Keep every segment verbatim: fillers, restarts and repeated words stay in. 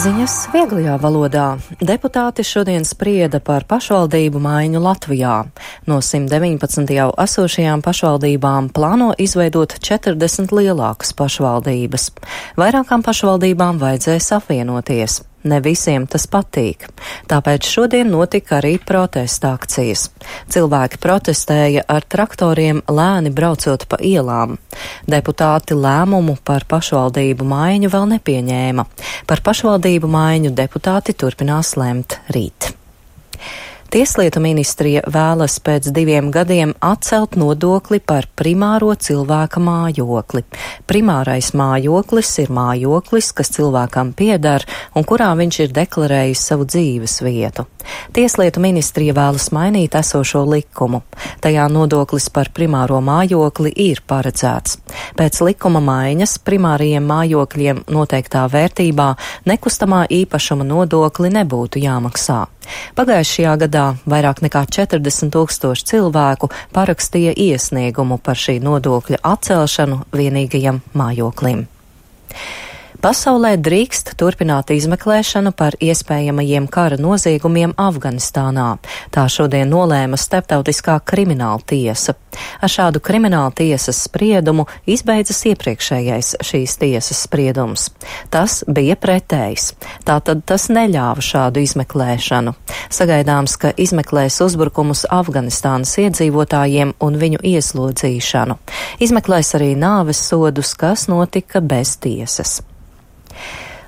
Ziņas vieglajā valodā. Deputāti šodien sprieda par pašvaldību maiņu Latvijā. No simt deviņpadsmit jau esošajām pašvaldībām plāno izveidot četrdesmit lielākas pašvaldības. Vairākām pašvaldībām vajadzēs apvienoties. Ne visiem tas patīk. Tāpēc šodien notika arī protesta akcijas. Cilvēki protestēja ar traktoriem lēni braucot pa ielām. Deputāti lēmumu par pašvaldību maiņu vēl nepieņēma. Par pašvaldību maiņu deputāti turpinās lemt rīt. Tieslietu ministrija vēlas pēc diviem gadiem atcelt nodokli par primāro cilvēka mājokli. Primārais mājoklis ir mājoklis, kas cilvēkam pieder un kurā viņš ir deklarējis savu dzīves vietu. Tieslietu ministrija vēlas mainīt esošo likumu. Tajā nodoklis par primāro mājokli ir paredzēts. Pēc likuma maiņas primārajiem mājokļiem noteiktā vērtībā nekustamā īpašuma nodokli nebūtu jāmaksā. Pagājušajā gadā vairāk nekā četrdesmit tūkstoši cilvēku parakstīja iesniegumu par šī nodokļa atcelšanu vienīgajam mājoklim. Pasaulē drīkst turpināt izmeklēšanu par iespējamajiem kara noziegumiem Afganistānā. Tā šodien nolēma Starptautiskā krimināla tiesa. Ar šādu krimināla tiesas spriedumu izbeidzas iepriekšējais šīs tiesas spriedums. Tas bija pretējs. Tātad tas neļāva šādu izmeklēšanu. Sagaidāms, ka izmeklēs uzbrukumus Afganistānas iedzīvotājiem un viņu ieslodzīšanu. Izmeklēs arī nāves sodus, kas notika bez tiesas.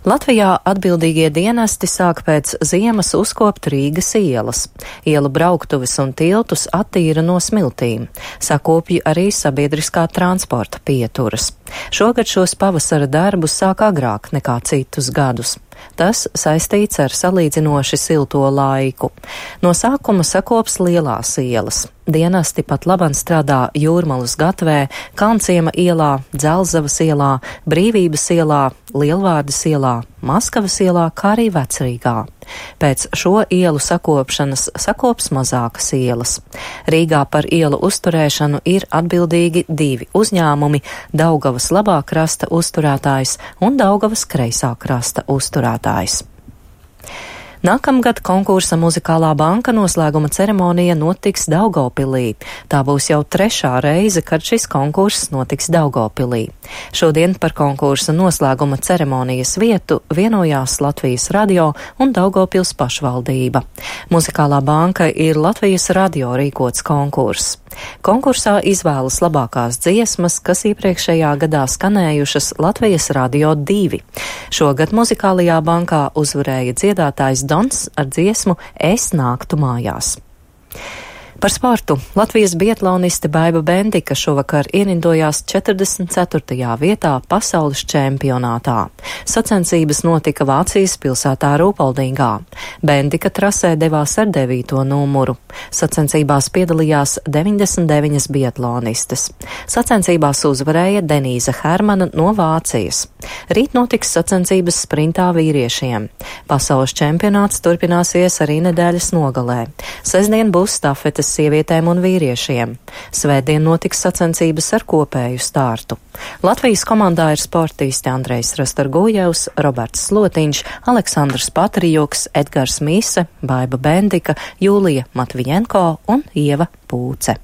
Latvijā atbildīgie dienesti sāk pēc ziemas uzkopt Rīgas ielas. Ielu brauktuves un tiltus attīra no smiltīm. Sakopja arī sabiedriskā transporta pieturas. Šogad šos pavasara darbus sāk agrāk nekā citus gadus. Tas saistīts ar salīdzinoši silto laiku. No sākuma sakops lielās ielas. Dienesti pat laban strādā Jūrmalas gatvē, Kalnciema ielā, Dzelzavas ielā, Brīvības ielā, Lielvārdas ielā, Maskavas ielā, kā arī Vecrīgā. Pēc šo ielu sakopšanas sakops mazākas ielas. Rīgā par ielu uzturēšanu ir atbildīgi divi uzņēmumi – Daugavas labā krasta uzturētājs un Daugavas kreisā krasta uzturētājs. Nākamgad konkursa Muzikālā banka noslēguma ceremonija notiks Daugavpilī. Tā būs jau trešā reize, kad šis konkurss notiks Daugavpilī. Šodien par konkursa noslēguma ceremonijas vietu vienojās Latvijas radio un Daugavpils pašvaldība. Muzikālā banka ir Latvijas radio rīkots konkurss. Konkursā izvēlas labākās dziesmas, kas iepriekšējā gadā skanējušas Latvijas radio divi. Šogad Muzikālajā bankā uzvarēja dziedātājs Dons ar dziesmu Es nāktu mājās. Par sportu. Latvijas biatloniste Baiba Bendika šovakar ierindojās četrdesmit ceturtajā vietā pasaules čempionātā. Sacensības notika Vācijas pilsētā Rūpoldingā. Bendika trasē devās ar devīto numuru. Sacensībās piedalījās deviņdesmit deviņas biatlonistes. Sacensībās uzvarēja Denīza Hermana no Vācijas. Rīt notiks sacensības sprintā vīriešiem. Pasaules čempionāts turpināsies arī nedēļas nogalē. Sestdien būs stafetes sievietēm un vīriešiem. Svētdien notiks sacensības ar kopēju startu. Latvijas komandā ir sportisti Andrejs Rastargujevs, Roberts Slotiņš, Aleksandrs Patrijuks, Edgars Mīse, Baiba Bendika, Jūlija Matvijenko un Ieva Pūce.